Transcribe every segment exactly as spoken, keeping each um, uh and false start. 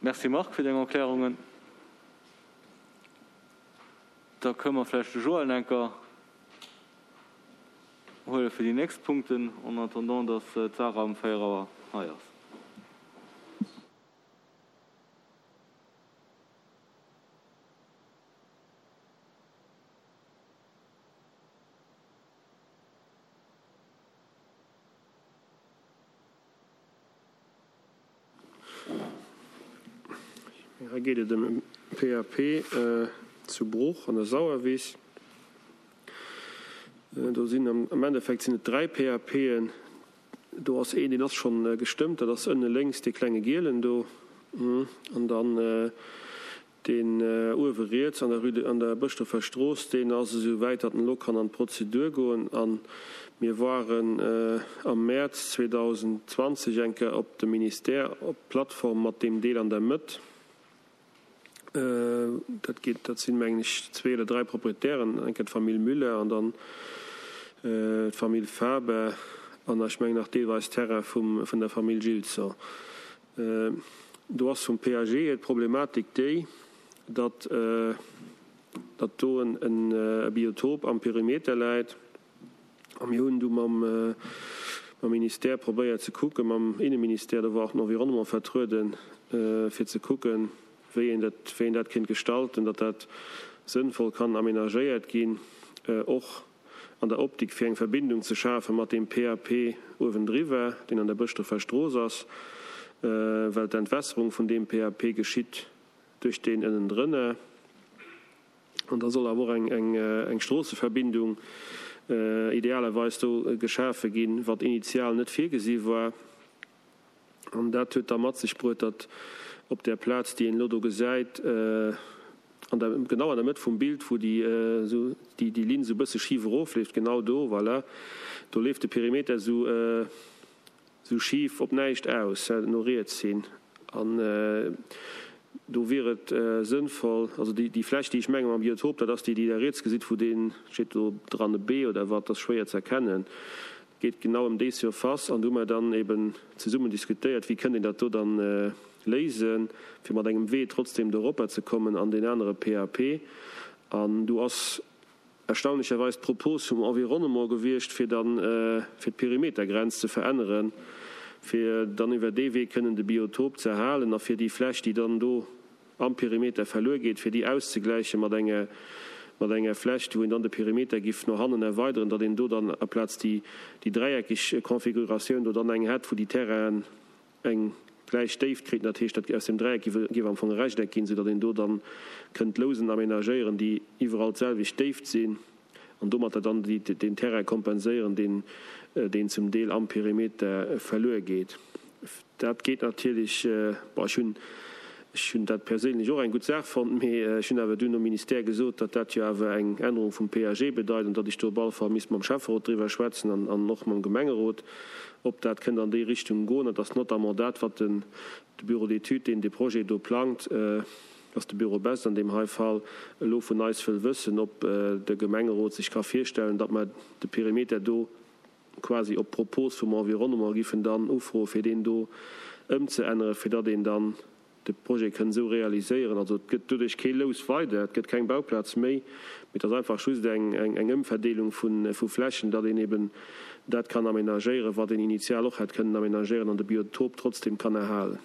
Merci Marc fir deng Erklärungen. Da kënne mer vläicht de Joël enker huele fir déi nächst Punkten, en attendant dass d'Sarah um véier Auer hei ass. Hei geet et ëm e P A P zu Bruch an der Sauerwiss. Do sinn am Endeffekt sinn et dräi P A P'en. Do ass een, deen ass schonn gestëmmt, dat ass ënne lénks dee klenge gielen do. An dann deen uewe riets an der Rue de, an der Bëschdorfer Strooss, deen ass esou wäit, datt en elo kann an d'Prozedur goen. A mir waren am Mäerz zweedausendzwanzeg eng Kéier op dem Ministère op d'Plattform mat deem Deel an der Mëtt. Dat geet, dat sinn, mengen ech, zwee oder dräi Proprietären, eng Kéier d'Famill Müller an dann d'Famill Faber an ech mengen nach deelweis Terrain vum, vun der Famill Gilson. Do ass vum P A G hier d'Problematik déi, datt, datt do en e Biotop am Perimeter läit. A mir hunn du mam, mam Ministère probéiert ze kucken, mam Inneministère, do war och den Environnement vertrueden, fir ze kucken, wéi een dat, wéi een dat kéint gestalten, datt dat sënnvoll kann aménagéiert ginn, och an der Optik fir eng Verbindung ze schafe mat deem P A P uewendriwwer, deen an der Bëschdrefer Strooss ass, well d'Entwässerung vun deem P A P geschitt duerch deen ënnendrënner. An da soll awer och eng, eng, eng Stroosseverbindung idealerweis do geschafe ginn, wat initial net virgesi war. An dat huet da mat sech bruet, datt op där Plaz, déi een elo do gesäit, an der, genau an der Mëtt vum Bild, wou déi, esou, déi, déi Linn esou e bësse schif erofleeft, genau do, voilà, do leeft de Perimeter esou, esou schif op näischt aus, no riets hin. An do wier et sënnvoll, also déi, déi Fläch, déi ech menge mam Biotop, dat ass déi, déi Der riets gesitt, wou deen, steet do dran e B oder wat, dat ass schwéier ze erkennen, geet genau ëm déi Surface. An do hu mer dann eben zesummen diskutéiert, wéi kënnt een dat do dann léisen, fir mat engem Wee trotzdem do eropper ze kommen an deen anere P A P. An do ass erstaunlecherweis d'Propos vum Environnement gewiescht, fir dann, fir d'Perimetergrenz ze veränneren, fir dann iwwer dee Wee kënnen de Biotop ze erhalen a fir déi Fläch, déi dann do am Perimeter verluer geet, fir déi auszegläiche mat enger mat enger Fläch, wou een dann de Perimeter giff no hannen erweideren, datt een do dann aplaz déi déi dräieckeg Configuratioun do dann eng hätt, wou déi Terrainen eng gläich Déift kriten. Dat heescht, dat aus dem Dräieck giff giff am Fong e Rechteck ginn, soudatt een do dann kënnt Lousen aménagéieren, déi iwwerall d'selwecht Déift sinn, an domatter dann déi deen Terrain kompenséieren, deen deen zum Deel am Perimeter verluer geet. Dat geet natierlech, bon, ech hunn ech hunn dat perséinlech och eng gutt Saach fonnt, mee ech hunn awer dunn nom Ministère gesot, datt dat jo awer eng Ännerung vum P A G bedeit an datt ech do op alle Fall misst mam Schäfferot driwwer schwätzen an an och mam Gemengerot, ob dat kënnt an déi Richtung goen. Et ass notamment dat, wat den de Bureau d'études, deen de Projet do plangt, ass de Bureau Best an deem hei Fall, elo vun eis wëll wëssen, ob de Gemengerot sech ka virstellen, datt mer de Perimeter do quasi op Propos vum Environnement giffen dann ufroen, fir deen do ëmzeänneren, fir datt een dann de Projet kënn esou realiséieren. Also et gëtt doduerch kee Lous weider, et gëtt keng Bauplaz méi, mee et ass einfach just eng eng Ëmverdeelung vu Flächen, datt een eben dat kann aménagéieren, wat een initial och hätt kënnen aménagéieren an de Biotop trotzdem kann erhalen.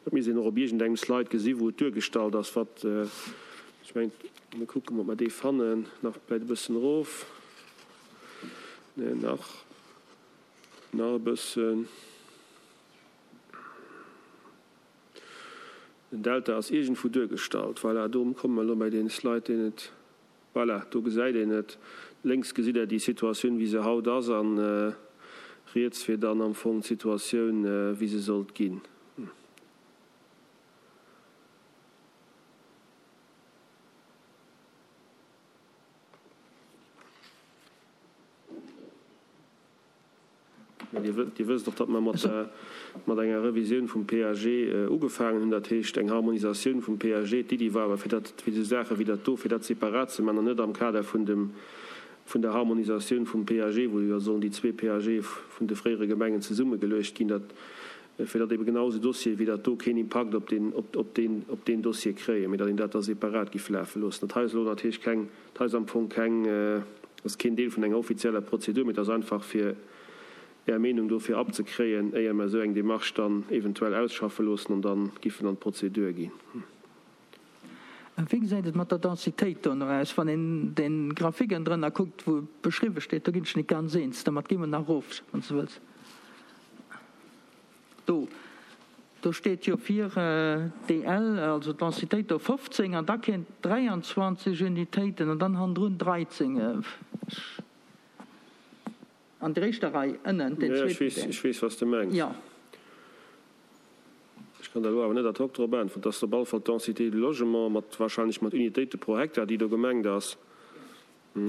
Dat misst een och op iergendengem Slide gesi wou et duergestallt ass, wat ech mengen. Mir kucken, ob mer dee fannen. Nach vläicht e bëssen erof. Nee, nach, nach e bëssen. Den Delta ass iergendwou duergestallt. Voilà, do komme mer elo bei dee Slide, deen et. Voilà, do gesäit een et. Lénks gesitt Der déi Situatioun, wéi se haut ass, a riets wier dann am Fong d'Situatioun, wéi se sollt ginn. Mä Dir wësst och, datt mer mat der, mat enger Revisioun vum P A G ugefaangen hunn, dat heescht eng Harmonisatioun vum P A G. D'Iddi war awer, fir dat, fir esou Saache wéi dat do, fir dat separat ze maachen an net am Kader vun dem, vun der Harmonisatioun vum P A G, wou jo sollen déi zwee P A G vun de fréiere Gemengen zesummegeluecht ginn, dat fir datt ebe genau esou Dossiere wéi dat do keen Impakt op deen, op, op deen, op deen Dossier kréien, mee datt een dat da separat giff lafe loossen. Dat hei ass elo natierlech keng, dat hei ass am Fong keng, ass keen Deel vun enger offizieller Prozedur, mee et ass einfach fir Är Meenung dofir abzekréien, éier mer esou eng Démarche dann eventuell ausschaffe loossen an dann giffen an d'Prozedur ginn. Wéi gesäit et mat der Densitéit do nach aus? Wann een de Graphique ënnendrënner kuckt, wou beschriwwe steet, do ginn ech net ganz eens. Domat gi mer nach erof, wann s de wëlls. Do, do steet jo fir D L, also d'Densitéit do fofzéng an da kéint dräianzwanzeg Unitéiten an dann hannendrun dreizéng. An der éischter Rei ënnen, deen Jo, ech zweeten weess, Deel. ech weess, wat s de mengs. Jo. Ech kann der elo awer net ad hoc drop äntweren. Et ass op alle Fall d'Densité de logement mat, wahrscheinlech mat Unitéite pro Hektar, déi do gemengt ass.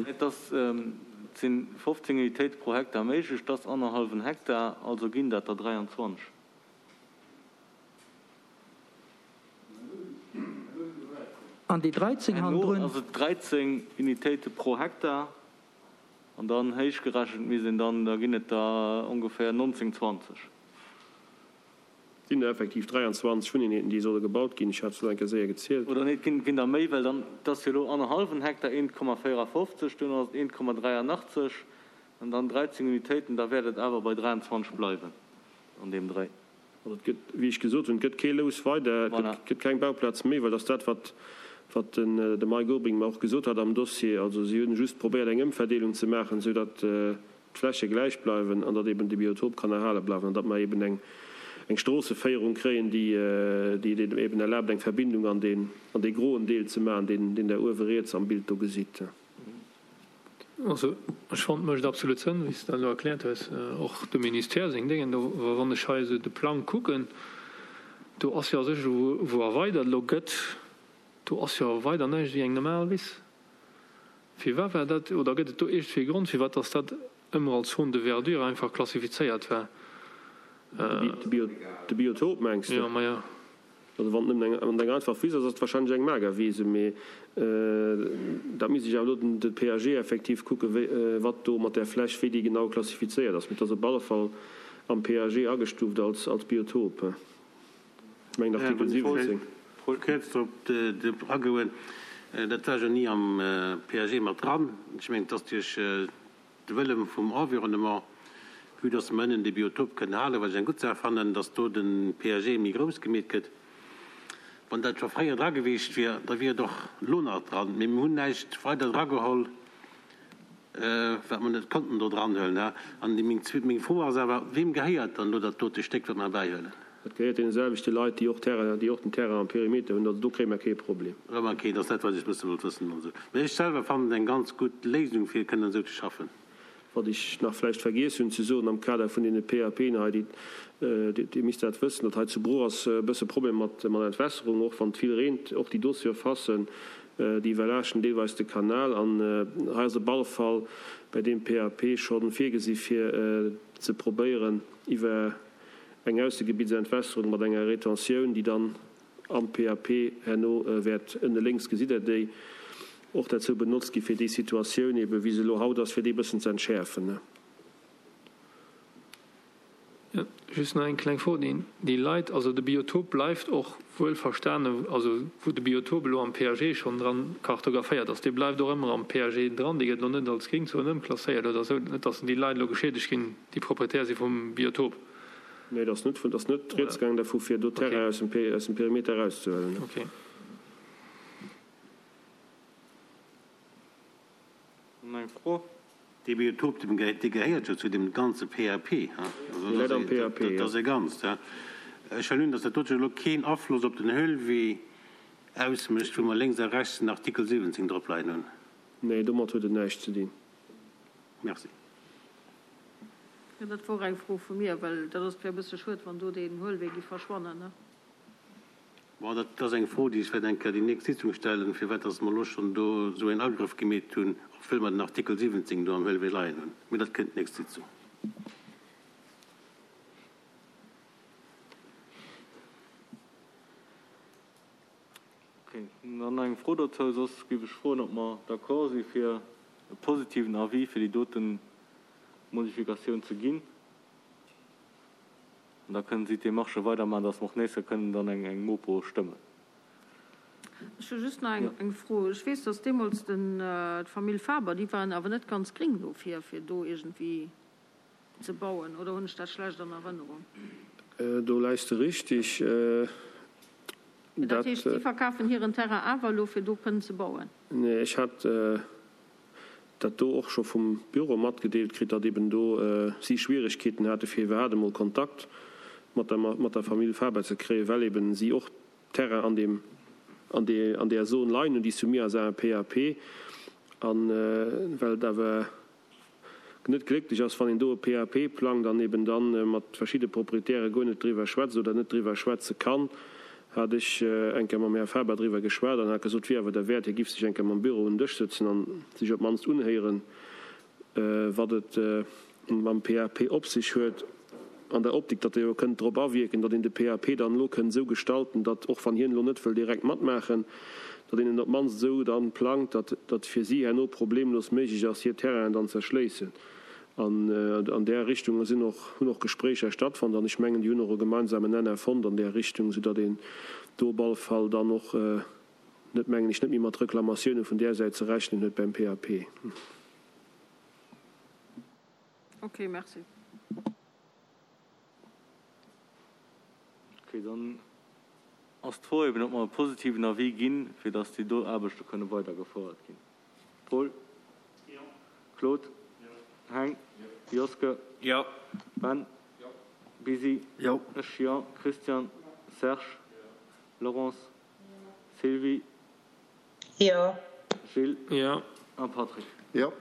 Et ass, et si fofzéng Unitéite pro Hektar méiglech, dat ass annerhallwen Hektar, also ginn dat der dräianzwanzeg. An déi dreizéng Herno hannendrun? ass et dräizéng Unitéite pro Hektar an dann héichgerechent misst een dann, da ginn et der ongeféier nonzéng, zwanzeg. Et sinn der effektiv dräianzwanzeg Wunneenheeten, déi solle gebaut ginn. Ech hat se elo eng Kéier séier gezielt. Oder nee, et ginn der méi, well dann, et ass jo elo annerhallwen Hektar, eent Komma véierafofzeg, duerno ass et eent Komma dräianachtzeg an dann dräizéng Unitéiten, da wäert et awer bei dräianzwanzeg bleiwen an deem Dréi. Also et gëtt, wéi ech gesot hunn, et gëtt kee Lous weider, et Voilà. gëtt keng Bauplaz méi, well dat ass dat, wat, wat den, de Mike Obing mer och gesot hat am Dossier. Also si hunn just probéiert, eng Ëmverdeelung ze maachen, esou datt d'Fläche gläich bleiwen an datt eben de Biotop kann erhale bleiwen an datt mer eben eng, eng Stroosseféierung kréien, déi, déi et eben erlaabt, eng Verbindung an deen, an dee groen Deel ze maachen, deen, deen Der uewe riets am Bild do gesitt. Also ech fannen, et mécht absolut Sënn, wéi s de dat elo erkläert hues, och de Ministère seng Déngen do. Wann ech hei esou de Plang kucken, do ass jo a sech elo, wou erweidert elo gëtt, do ass jo weider näischt wéi eng normal Wiss. Firwat war dat, oder gëtt et do iergendwéi e Grond, firwat dass dat ëmmer als Zone de verdure einfach klassifizéiert war? De Biotop mengs de? Jo, maja. Also wann et nëmmen eng, wann et eng einfach Wiss ass, ass et wahrscheinlech eng Magerwiese, mee dat misst ech awer elo den de P A G effektiv kucken, wéi, wat do mat där Fläch, wéi déi genau klassifizéiert ass. Mee et ass op alle Fall am P A G agestuuft als, als Biotop. Ech mengen Artikel siwwenzéng. Kuerz drop agoen, dat war jo ni am P A G mat dran. Ech mengen, et ass duerch de Wëlle vum Environnement, vue dass mer ënnen de Biotop kënnen halen, wat ech eng gutt Saach fannen, dass do de P A G méi grouss gemeet gëtt. Wann dat scho fréier dra gewiescht wier, da wier et och elo nach dran. Mee mir hunn näischt weider drageholl, wat mer net konnten do dranhuelen. An meng Fro ass awer, Weem gehéiert dann elo dat dote Stéck, wat mer erbäihuelen? Dat gehéiert deene selwechte Leit, déi och Terrain, déi och den Terrain am Perimeter hunn. Also do kréie mer kee Problem. Ok, dat ass dat, wat ech wësse wollt wëssen. Also, mee ech selwer fannen et eng ganz gutt Léisung, fir kënnen esou ze schaffen. Wat ech nach vläicht vergiess hunn ze soen am Kader vun deene P A P'en hei, déi, Dir misst dat wëssen, datt hei zu Bruch ass e bësse Problem mat mat Entwässerung, och wann et vill reent, och déi do Surfacen, déi iwwerlaaschten deelweis de Kanal. An hei ass op alle Fall bei deem P A P scho virgesi fir ze probéieren iwwer eng Aussegebiettsentwässerung mat enger Retentioun, déi dann am P A P herno wäert, ënne lénks gesitt Der déi, och derzou benotzt gi fir déi Situatioun ebe wéi se elo haut ass, fir déi e bëssen ze entschäerfen. Jo, just nach eng kleng Fro, déi déi Leit, also de Biotop bleift och wuel verstanen, also wou de Biotop elo am P A G schonn dran kartographéiert ass, dee bleift och ëmmer am P A G dran, dee gëtt elo net als Gringzon ëmklasséiert oder esou, net datt déi Leit elo geschiedegt ginn, déi Proprietär si vum Biotop? Nee, et ass net vun, et ass net rieds gaangen dervu fir do Terrain aus dem aus dem Perimeter erauszehuelen. Okay. Eng Fro? Dee Biotop, dee gehéiert jo zu deem ganze P A P, he? Dee läit am P A P, Dat jo. ass e Ganzt, he? Ech huelen un, datt dat dote elo keen Afloss op den Höhlwee ausmécht, wou mer lénks a rechts den Artikel siwwenzéng drop leien hunn. Nee, domat huet et näischt ze dinn. Merci. Jo, dat wor eng Fro vu mir, well dat ass wär e bësse schued, wann do deen Huelwee gi verschwannen, ne? Bon, dat ass eng Fro, déi ech wäert eng Kéier déi nächst Sitzung stellen, firwat dass mer elo schonn do esou een Agrëff gemeet hunn, obwuel mer den Artikel siwwenzéng do am Huelwee leien hunn. Mee dat kënnt d'nächst Sitzung. Ok, dann nach eng Fro dozou, soss géif ech froen, ob mer d'accord si fir e positiven Avis fir déi dote Modifikatioun ze ginn. An da kënnen si d'Demarchë weidermaachen, dass mer och nächst Joer kënnen dann eng eng Mopo stëmmen. Ech hu just nach eng eng Fro. Ech weess, dass deemools den d'Famill Faber, déi waren awer net ganz gréng dofir, fir do iergendwéi ze bauen, oder hunn ech dat schlecht an Erënnerung? Do läis de richtig. Dat heescht, si verkafen hiren Terrain awer elo, fir do kënnen ze bauen? Nee, ech hat dat do och scho vum Büro matgedeelt kritt, datt eben do si Schwierigkeeten hate fir iwwerhaapt emol Kontakt mat der mat der Famill Faber ze kréien, well eben si och Terrain an deem an deer an deer Zone leien hunn, déi soumis ass à un PAP, a well et awer net glécklech ass, wann een do e PAP plangt an eben da mat verschidde Proprietäre guer net driwwer schwätzt oder net driwwer schwätze kann, hat ech eng Kéier mam Här Faber driwwer geschwat an hat gesot, wier awer derwäert, hie giff sech eng Kéier mam Büro un den Dësch sëtzen an sech op d'mannst unhéieren, wat et mam PAP op sech huet, an der Optik, datt e jo kënnt drop awierken, datt een de PAP dann elo kënnt esou gestalten, datt, och wann hien elo net wëll direkt matmaachen, datt een en op d'mannst esou dann plangt, datt datt fir si herno problemlos méiglech ass, hir Terrainen dann z'erschléissen. An an där Richtung sinn och, hunn och Gespréicher stattfonnt an ech mengen, déi hunn och e gemeinsamen Nenner fonnt an där Richtung, soudatt een do op alle Fall dann och net, mengen ech, net méi mat Reklamatiounen vun där Säit ze rechnen huet beim PAP. Ok, merci. Ok, dann ass d'Fro eben, ob mer e positiven Avis ginn, fir dass déi do Aarbechte kënne weidergefouert ginn. Paul? Jo. Claude? Jo. Heng? Jo. Joske? Jo. Ben? Jo. Bisi? Jo. Ech, jo. Christian? Jo. Serge? Jo. Laurence? Jo. Sylvie? Jo. Gilles? Jo. A Patrick? Jo.